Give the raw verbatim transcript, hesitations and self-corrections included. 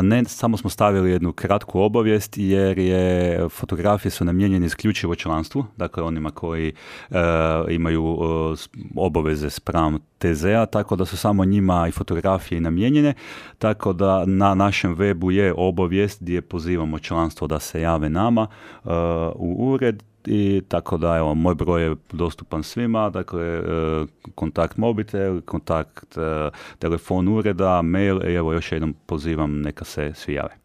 Ne, samo smo stavili jednu kratku obavijest jer je fotografije su namijenjene isključivo članstvu, dakle onima koji uh, imaju uh, obaveze spram T Z-a, tako da su samo njima i fotografije namijenjene, tako da na našem webu je obavijest gdje pozivamo članstvo da se jave nama uh, u ured. I tako da, evo, moj broj je dostupan svima, dakle, kontakt mobitel, kontakt telefon ureda, mail, i evo još jednom pozivam neka se svi jave.